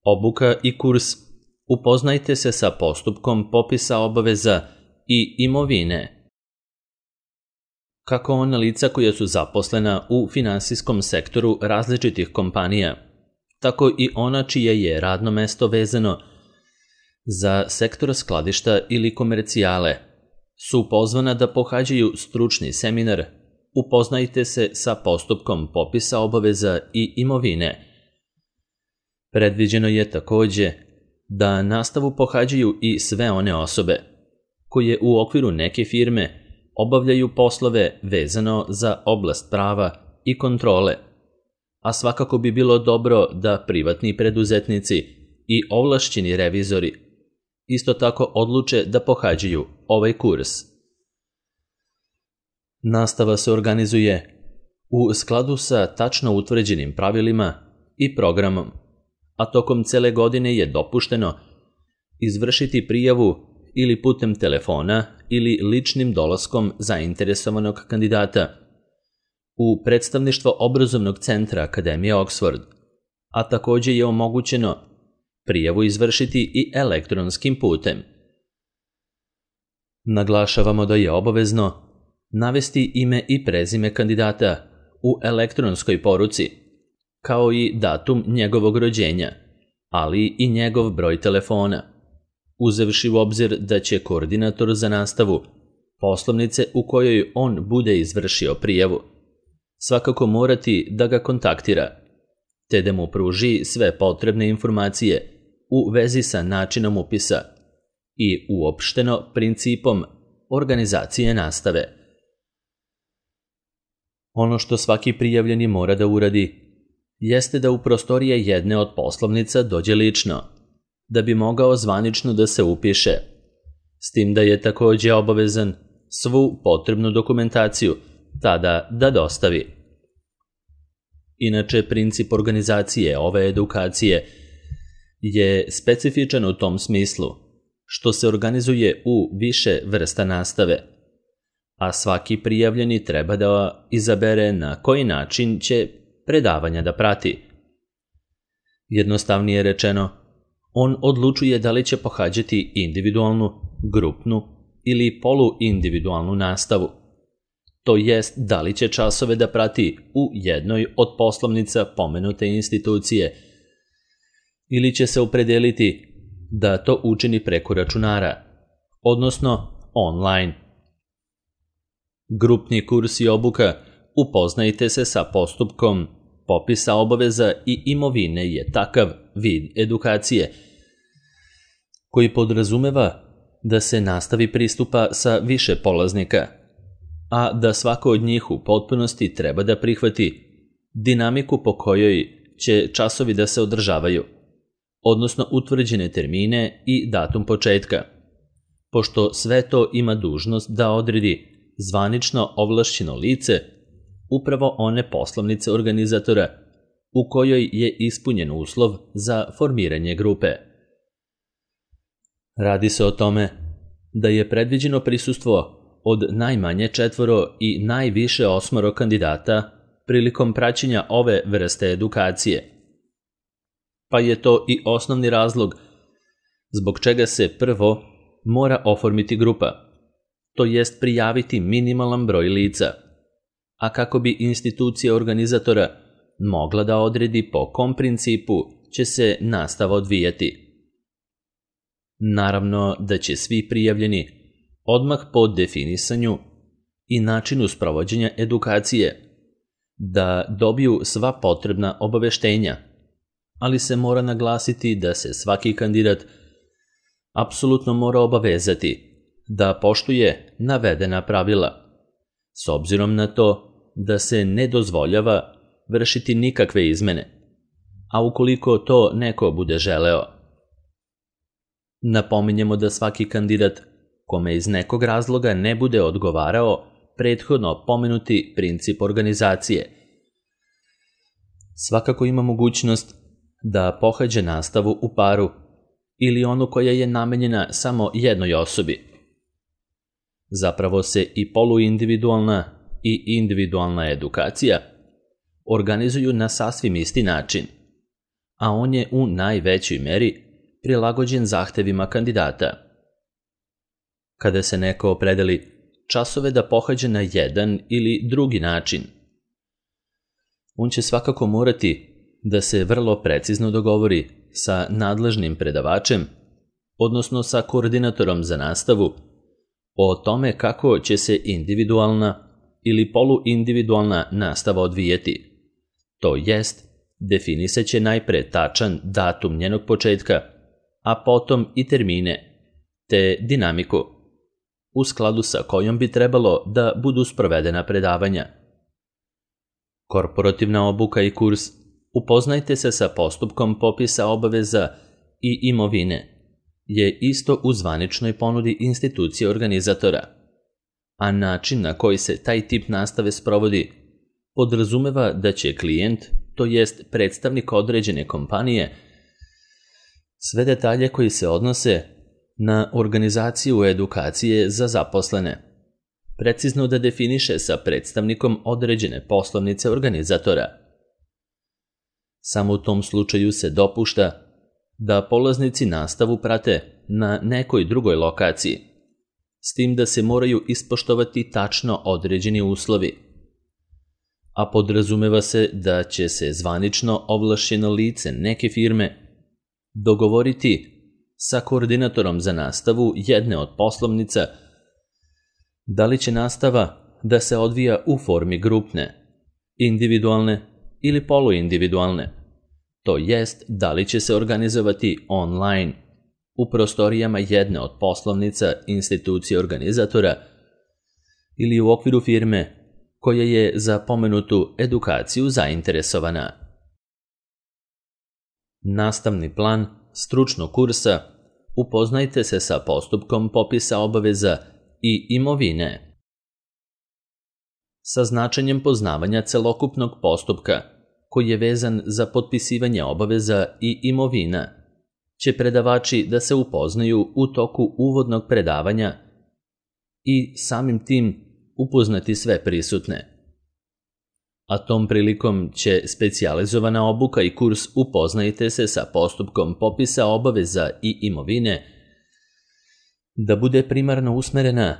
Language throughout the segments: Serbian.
Obuka i kurs. Upoznajte se sa postupkom popisa obaveza i imovine. Kako ona lica koja su zaposlena u finansijskom sektoru različitih kompanija, tako i ona čije je radno mesto vezano za sektor skladišta ili komercijale, su pozvana da pohađaju stručni seminar Upoznajte se sa postupkom popisa obaveza i imovine. Predviđeno je takođe da nastavu pohađaju i sve one osobe koje u okviru neke firme obavljaju poslove vezano za oblast prava i kontrole, a svakako bi bilo dobro da privatni preduzetnici i ovlašćeni revizori isto tako odluče da pohađaju ovaj kurs. Nastava se organizuje u skladu sa tačno utvrđenim pravilima i programom, a tokom cele godine je dopušteno izvršiti prijavu ili putem telefona ili ličnim dolaskom zainteresovanog kandidata u predstavništvo obrazovnog centra Akademije Oxford, a takođe je omogućeno prijavu izvršiti i elektronskim putem. Naglašavamo da je obavezno navesti ime i prezime kandidata u elektronskoj poruci, kao i datum njegovog rođenja, ali i njegov broj telefona, uzevši u obzir da će koordinator za nastavu poslovnice u kojoj on bude izvršio prijavu svakako morati da ga kontaktira, te da mu pruži sve potrebne informacije u vezi sa načinom upisa i uopšteno principom organizacije nastave. Ono što svaki prijavljeni mora da uradi jeste da u prostorije jedne od poslovnica dođe lično, da bi mogao zvanično da se upiše, s tim da je takođe obavezan svu potrebnu dokumentaciju tada da dostavi. Inače, princip organizacije ove edukacije je specifičan u tom smislu što se organizuje u više vrsta nastave, a svaki prijavljeni treba da izabere na koji način će predavanja da prati. Jednostavnije rečeno, on odlučuje da li će pohađati individualnu, grupnu ili poluindividualnu nastavu. To jest da li će časove da prati u jednoj od poslovnica pomenute institucije ili će se opredeliti da to učini preko računara, odnosno online. Grupni kurs i obuka Upoznajte se sa postupkom popisa obaveza i imovine je takav vid edukacije koji podrazumeva da se nastavi pristupa sa više polaznika, a da svako od njih u potpunosti treba da prihvati dinamiku po kojoj će časovi da se održavaju, odnosno utvrđene termine i datum početka, pošto sve to ima dužnost da odredi zvanično ovlašćeno lice, upravo one poslovnice organizatora u kojoj je ispunjen uslov za formiranje grupe. Radi se o tome da je predviđeno prisustvo od najmanje 4 i najviše 8 kandidata prilikom praćenja ove vrste edukacije, pa je to i osnovni razlog zbog čega se prvo mora oformiti grupa, to jest prijaviti minimalan broj lica, a kako bi institucija organizatora mogla da odredi po kom principu će se nastava odvijati. Naravno da će svi prijavljeni odmah po definisanju i načinu sprovođenja edukacije da dobiju sva potrebna obaveštenja, ali se mora naglasiti da se svaki kandidat apsolutno mora obavezati da poštuje navedena pravila, s obzirom na to da se ne dozvoljava vršiti nikakve izmene, a ukoliko to neko bude želeo. Napominjemo da svaki kandidat kome iz nekog razloga ne bude odgovarao prethodno pomenuti princip organizacije, svakako ima mogućnost da pohađa nastavu u paru ili onu koja je namenjena samo jednoj osobi. Zapravo se i poluindividualna i individualna edukacija organizuju na sasvim isti način, a on je u najvećoj meri prilagođen zahtevima kandidata. Kada se neko opredeli časove da pohađa na jedan ili drugi način, on će svakako morati da se vrlo precizno dogovori sa nadležnim predavačem, odnosno sa koordinatorom za nastavu, o tome kako će se individualna ili poluindividualna nastava odvijeti. To jest, definisat će najpre tačan datum njenog početka, a potom i termine, te dinamiku, u skladu sa kojom bi trebalo da budu sprovedena predavanja. Korporativna obuka i kurs Upoznajte se sa postupkom popisa obaveza i imovine je isto u zvaničnoj ponudi institucije organizatora, a način na koji se taj tip nastave sprovodi podrazumeva da će klijent, to jest predstavnik određene kompanije, sve detalje koji se odnose na organizaciju edukacije za zaposlene, precizno da definiše sa predstavnikom određene poslovnice organizatora. Samo u tom slučaju se dopušta da polaznici nastavu prate na nekoj drugoj lokaciji, s tim da se moraju ispoštovati tačno određeni uslovi, a podrazumeva se da će se zvanično ovlašćeno lice neke firme dogovoriti sa koordinatorom za nastavu jedne od poslovnica da li će nastava da se odvija u formi grupne, individualne ili poluindividualne, to jest da li će se organizovati online u prostorijama jedne od poslovnica institucije organizatora ili u okviru firme koja je za pomenutu edukaciju zainteresovana. Nastavni plan stručnog kursa Upoznajte se sa postupkom popisa obaveza i imovine. Sa značenjem poznavanja celokupnog postupka koji je vezan za potpisivanje obaveza i imovina će predavači da se upoznaju u toku uvodnog predavanja i samim tim upoznati sve prisutne. A tom prilikom će specijalizovana obuka i kurs Upoznajte se sa postupkom popisa obaveza i imovine da bude primarno usmerena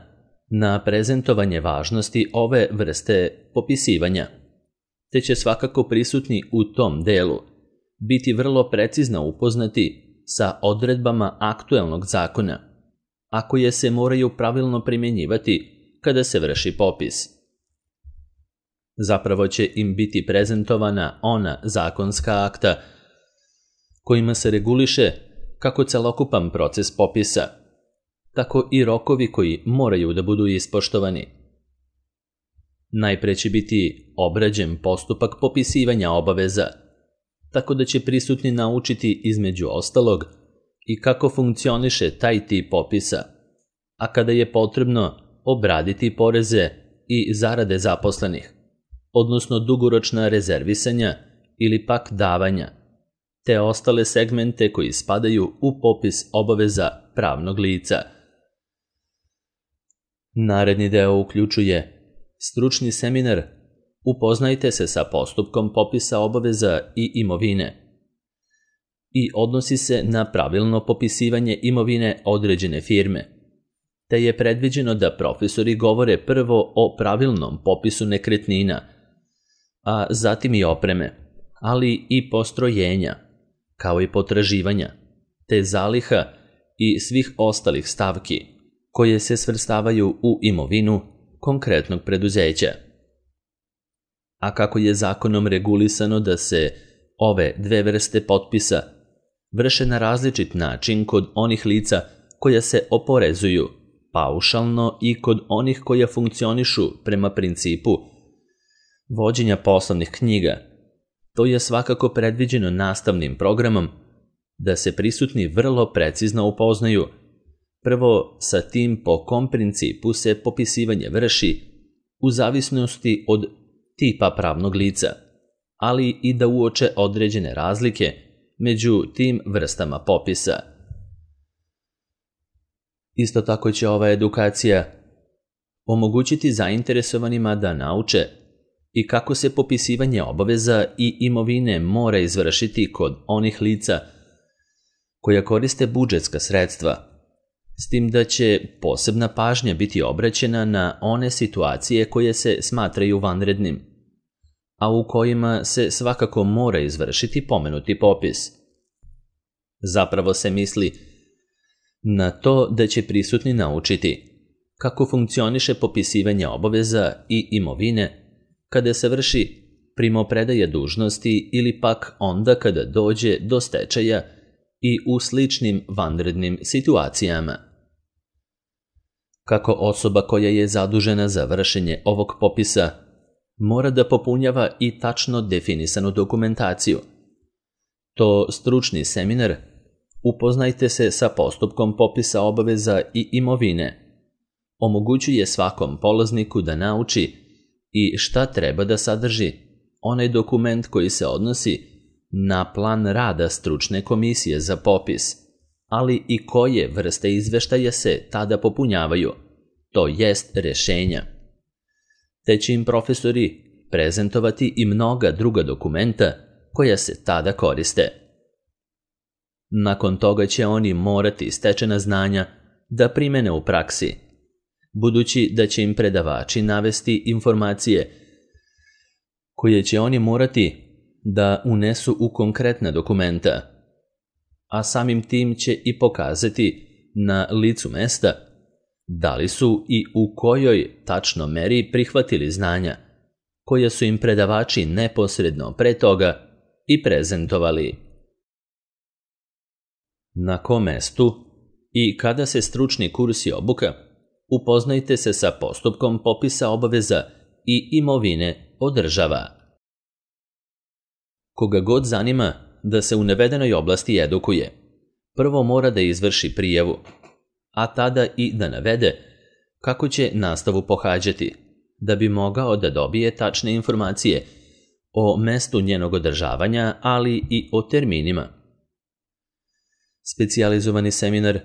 na prezentovanje važnosti ove vrste popisivanja, te će svakako prisutni u tom delu biti vrlo precizno upoznati sa odredbama aktuelnog zakona, a koje se moraju pravilno primjenjivati kada se vrši popis. Zapravo će im biti prezentovana ona zakonska akta kojima se reguliše kako celokupan proces popisa, tako i rokovi koji moraju da budu ispoštovani. Najpre će biti obrađen postupak popisivanja obaveza, tako da će prisutni naučiti između ostalog i kako funkcioniše taj tip popisa, a kada je potrebno obraditi poreze i zarade zaposlenih, odnosno dugoročna rezervisanja ili pak davanja, te ostale segmente koji spadaju u popis obaveza pravnog lica. Naredni deo uključuje stručni seminar Upoznajte se sa postupkom popisa obaveza i imovine i odnosi se na pravilno popisivanje imovine određene firme, te je predviđeno da profesori govore prvo o pravilnom popisu nekretnina, a zatim i opreme, ali i postrojenja, kao i potraživanja, te zaliha i svih ostalih stavki koje se svrstavaju u imovinu konkretnog preduzeća. A kako je zakonom regulisano da se ove dve vrste potpisa vrše na različit način kod onih lica koja se oporezuju paušalno i kod onih koja funkcionišu prema principu vođenja poslovnih knjiga, to je svakako predviđeno nastavnim programom da se prisutni vrlo precizno upoznaju prvo sa tim po kom principu se popisivanje vrši u zavisnosti od tipa pravnog lica, ali i da uoče određene razlike među tim vrstama popisa. Isto tako će ova edukacija omogućiti zainteresovanima da nauče i kako se popisivanje obaveza i imovine mora izvršiti kod onih lica koja koriste budžetska sredstva, s tim da će posebna pažnja biti obraćena na one situacije koje se smatraju vanrednim, a u kojima se svakako mora izvršiti pomenuti popis. Zapravo se misli na to da će prisutni naučiti kako funkcioniše popisivanje obaveza i imovine kada se vrši primopredaja dužnosti ili pak onda kada dođe do stečaja i u sličnim vanrednim situacijama. Kako osoba koja je zadužena za vršenje ovog popisa mora da popunjava i tačno definisanu dokumentaciju. To stručni seminar Upoznajte se sa postupkom popisa obaveza i imovine omogućuje svakom polazniku da nauči i šta treba da sadrži onaj dokument koji se odnosi na plan rada stručne komisije za popis, ali i koje vrste izveštaja se tada popunjavaju, to jest rešenja. Te će im profesori prezentovati i mnoga druga dokumenta koja se tada koriste. Nakon toga će oni morati stečena znanja da primene u praksi, budući da će im predavači navesti informacije koje će oni morati da unesu u konkretna dokumenta, a samim tim će i pokazati na licu mesta da li su i u kojoj tačno meri prihvatili znanja koja su im predavači neposredno pre toga i prezentovali. Na kom mestu i kada se stručni kurs i obuka, upoznajte se sa postupkom popisa obaveza i imovine održava. Koga god zanima da se u navedenoj oblasti edukuje, prvo mora da izvrši prijavu, a tada i da navede kako će nastavu pohađati, da bi mogao da dobije tačne informacije o mestu njenog održavanja, ali i o terminima. Specijalizovani seminar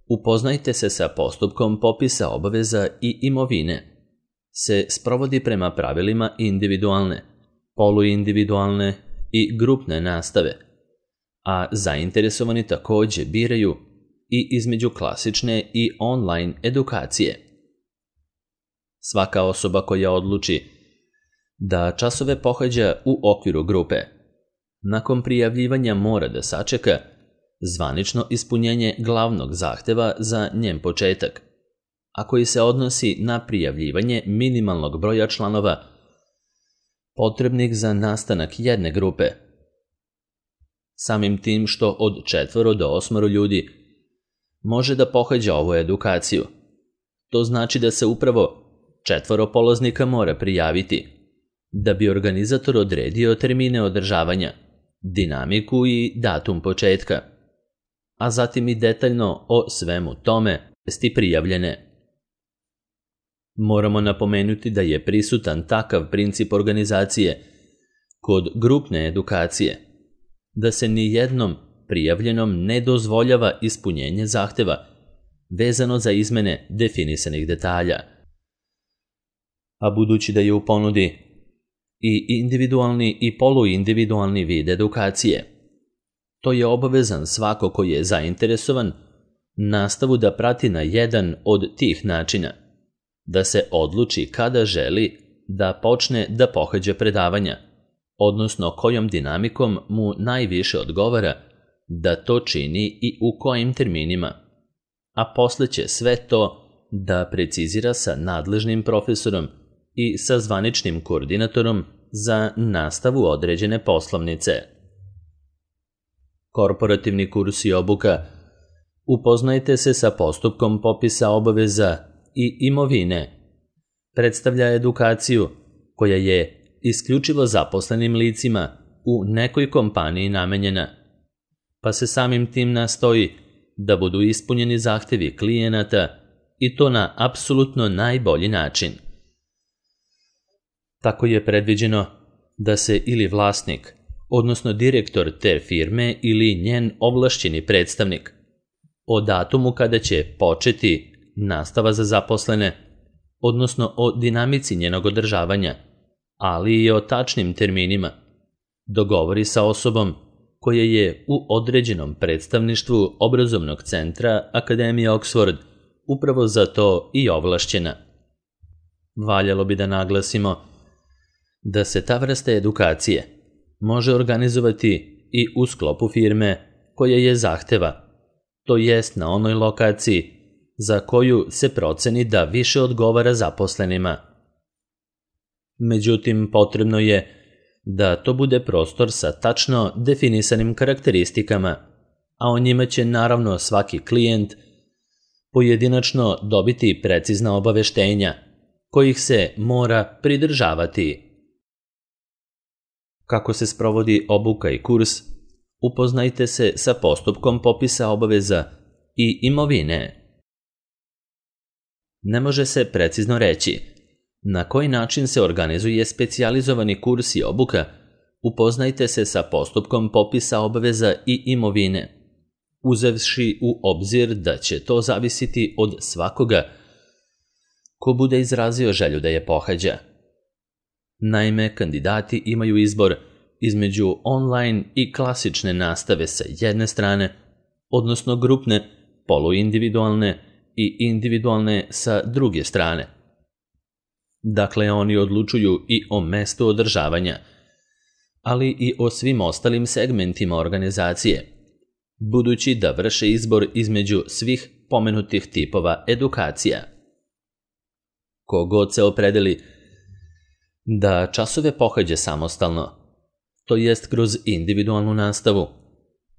Upoznajte se sa postupkom popisa obaveza i imovine se sprovodi prema pravilima individualne, poluindividualne i grupne nastave, a zainteresovani takođe biraju i između klasične i online edukacije. Svaka osoba koja odluči da časove pohađa u okviru grupe, nakon prijavljivanja mora da sačeka zvanično ispunjenje glavnog zahteva za njen početak, a koji se odnosi na prijavljivanje minimalnog broja članova potrebnih za nastanak jedne grupe. Samim tim što od 4 do 8 ljudi može da pohađa ovu edukaciju, to znači da se upravo 4 polaznika mora prijaviti, da bi organizator odredio termine održavanja, dinamiku i datum početka, a zatim i detaljno o svemu tome vesti prijavljene. Moramo napomenuti da je prisutan takav princip organizacije kod grupne edukacije, da se ni jednom prijavljenom ne dozvoljava ispunjenje zahteva vezano za izmene definisanih detalja. A budući da je u ponudi i individualni i poluindividualni vid edukacije, to je obavezan svako koji je zainteresovan nastavu da prati na jedan od tih načina, da se odluči kada želi da počne da pohađa predavanja, odnosno kojom dinamikom mu najviše odgovara da to čini i u kojim terminima, a posle će sve to da precizira sa nadležnim profesorom i sa zvaničnim koordinatorom za nastavu određene poslovnice. Korporativni kurs i obuka Upoznajte se sa postupkom popisa obaveza i imovine predstavlja edukaciju koja je isključivo zaposlenim licima u nekoj kompaniji namenjena, pa se samim tim nastoji da budu ispunjeni zahtevi klijenata i to na apsolutno najbolji način. Tako je predviđeno da se ili vlasnik, odnosno direktor te firme ili njen ovlašćeni predstavnik, o datumu kada će početi nastava za zaposlene, odnosno o dinamici njenog održavanja, ali i o tačnim terminima, dogovori sa osobom koja je u određenom predstavništvu obrazovnog centra Akademije Oxford upravo za to i ovlašćena. Valjalo bi da naglasimo da se ta vrsta edukacije može organizovati i u sklopu firme koja je zahteva, to jest na onoj lokaciji za koju se proceni da više odgovara zaposlenima. Međutim, potrebno je da to bude prostor sa tačno definisanim karakteristikama, a o njima će naravno svaki klijent pojedinačno dobiti precizna obaveštenja kojih se mora pridržavati. Kako se sprovodi obuka i kurs, upoznajte se sa postupkom popisa obaveza i imovine. Ne može se precizno reći na koji način se organizuje specijalizovani kurs i obuka. Upoznajte se sa postupkom popisa obaveza i imovine, uzevši u obzir da će to zavisiti od svakoga ko bude izrazio želju da je pohađa. Naime, kandidati imaju izbor između online i klasične nastave sa jedne strane, odnosno grupne, poluindividualne i individualne sa druge strane. Dakle, oni odlučuju i o mestu održavanja, ali i o svim ostalim segmentima organizacije, budući da vrše izbor između svih pomenutih tipova edukacija. Kogod se opredeli da časove pohađa samostalno, to jest kroz individualnu nastavu,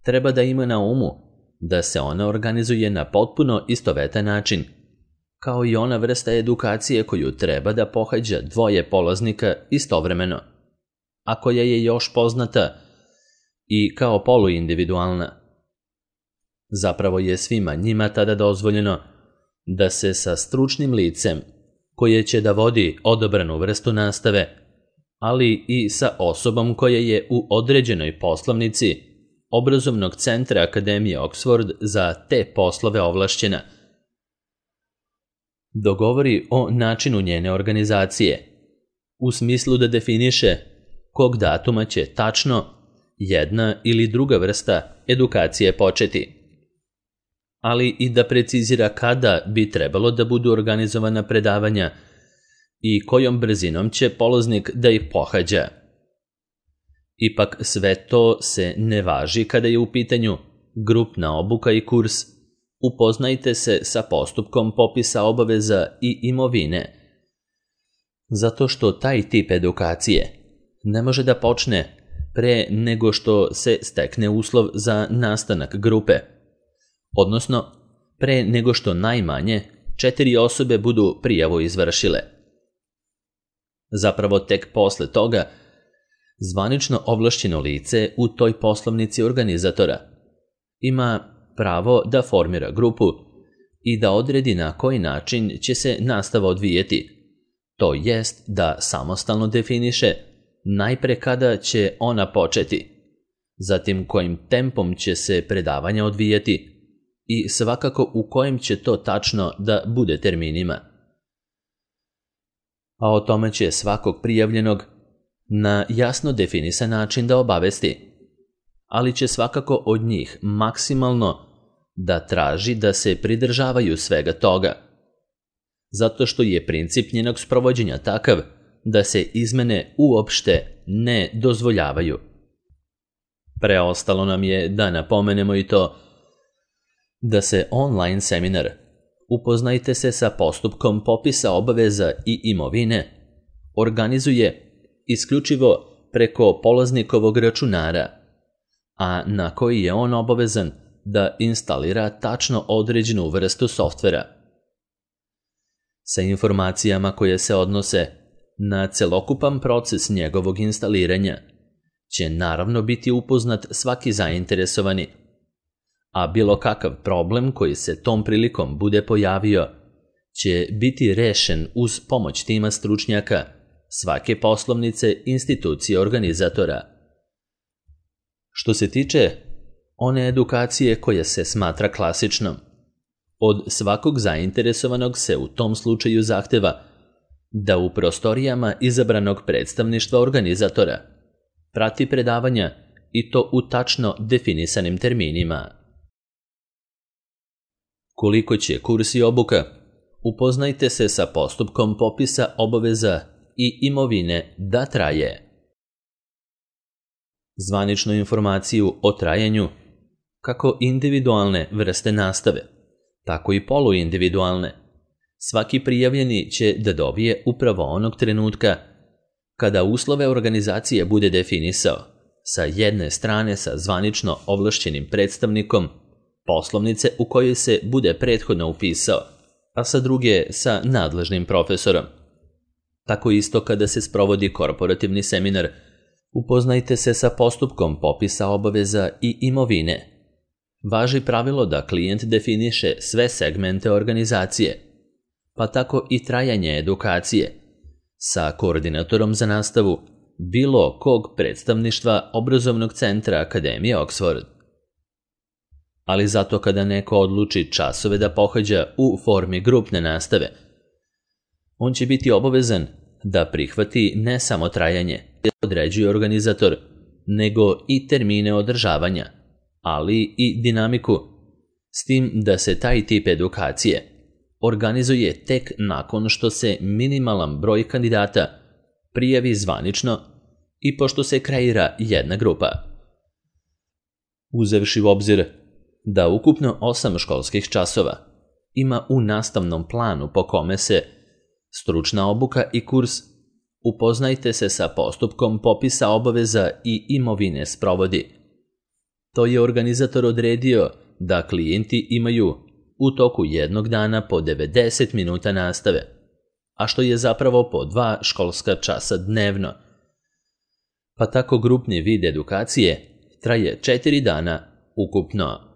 treba da ima na umu da se ona organizuje na potpuno istovetan način, kao i ona vrsta edukacije koju treba da pohađa dvoje polaznika istovremeno, a koja je još poznata i kao poluindividualna. Zapravo je svima njima tada dozvoljeno da se sa stručnim licem koje će da vodi odabranu vrstu nastave, ali i sa osobom koja je u određenoj poslovnici obrazovnog centra Akademije Oxford za te poslove ovlašćena, dogovori o načinu njene organizacije, u smislu da definiše kog datuma će tačno jedna ili druga vrsta edukacije početi, ali i da precizira kada bi trebalo da budu organizovana predavanja i kojom brzinom će polaznik da ih pohađa. Ipak sve to se ne važi kada je u pitanju grupna obuka i kurs. Upoznajte se sa postupkom popisa obaveza i imovine, zato što taj tip edukacije ne može da počne pre nego što se stekne uslov za nastanak grupe, odnosno pre nego što najmanje 4 osobe budu prijavu izvršile. Zapravo tek posle toga zvanično ovlašćeno lice u toj poslovnici organizatora ima pravo da formira grupu i da odredi na koji način će se nastava odvijeti, to jest da samostalno definiše najpre kada će ona početi, zatim kojim tempom će se predavanja odvijati i svakako u kojem će to tačno da bude terminima. A o tome će svakog prijavljenog na jasno definisan način da obavesti, ali će svakako od njih maksimalno da traži da se pridržavaju svega toga, zato što je princip njenog sprovođenja takav da se izmene uopšte ne dozvoljavaju. Preostalo nam je da napomenemo i to da se online seminar Upoznajte se sa postupkom popisa obaveza i imovine organizuje isključivo preko polaznikovog računara, a na koji je on obavezan da instalira tačno određenu vrstu softvera. Sa informacijama koje se odnose na celokupan proces njegovog instaliranja će naravno biti upoznat svaki zainteresovani, a bilo kakav problem koji se tom prilikom bude pojavio će biti rešen uz pomoć tima stručnjaka svake poslovnice institucije organizatora. Što se tiče one edukacije koja se smatra klasičnom, od svakog zainteresovanog se u tom slučaju zahteva da u prostorijama izabranog predstavništva organizatora prati predavanja i to u tačno definisanim terminima. Koliko će kurs i obuka? Upoznajte se sa postupkom popisa obaveza i imovine da traje. Zvaničnu informaciju o trajanju, kako individualne vrste nastave, tako i poluindividualne, svaki prijavljeni će da dobije upravo onog trenutka kada uslove organizacije bude definisao, sa jedne strane sa zvanično ovlašćenim predstavnikom poslovnice u kojoj se bude prethodno upisao, a sa druge sa nadležnim profesorom. Tako isto kada se sprovodi korporativni seminar, upoznajte se sa postupkom popisa obaveza i imovine. Važi pravilo da klijent definiše sve segmente organizacije, pa tako i trajanje edukacije, sa koordinatorom za nastavu bilo kog predstavništva obrazovnog centra Akademije Oxford. Ali zato kada neko odluči časove da pohađa u formi grupne nastave, on će biti obavezan da prihvati ne samo trajanje koje određuje organizator, nego i termine održavanja, ali i dinamiku, s tim da se taj tip edukacije organizuje tek nakon što se minimalan broj kandidata prijavi zvanično i pošto se kreira jedna grupa. Uzevši u obzir da ukupno 8 školskih časova ima u nastavnom planu po kome se stručna obuka i kurs, upoznajte se sa postupkom popisa obaveza i imovine sprovodi. To je organizator odredio da klijenti imaju u toku jednog dana po 90 minuta nastave, a što je zapravo po 2 školska časa dnevno. Pa tako grupni vid edukacije traje 4 dana ukupno.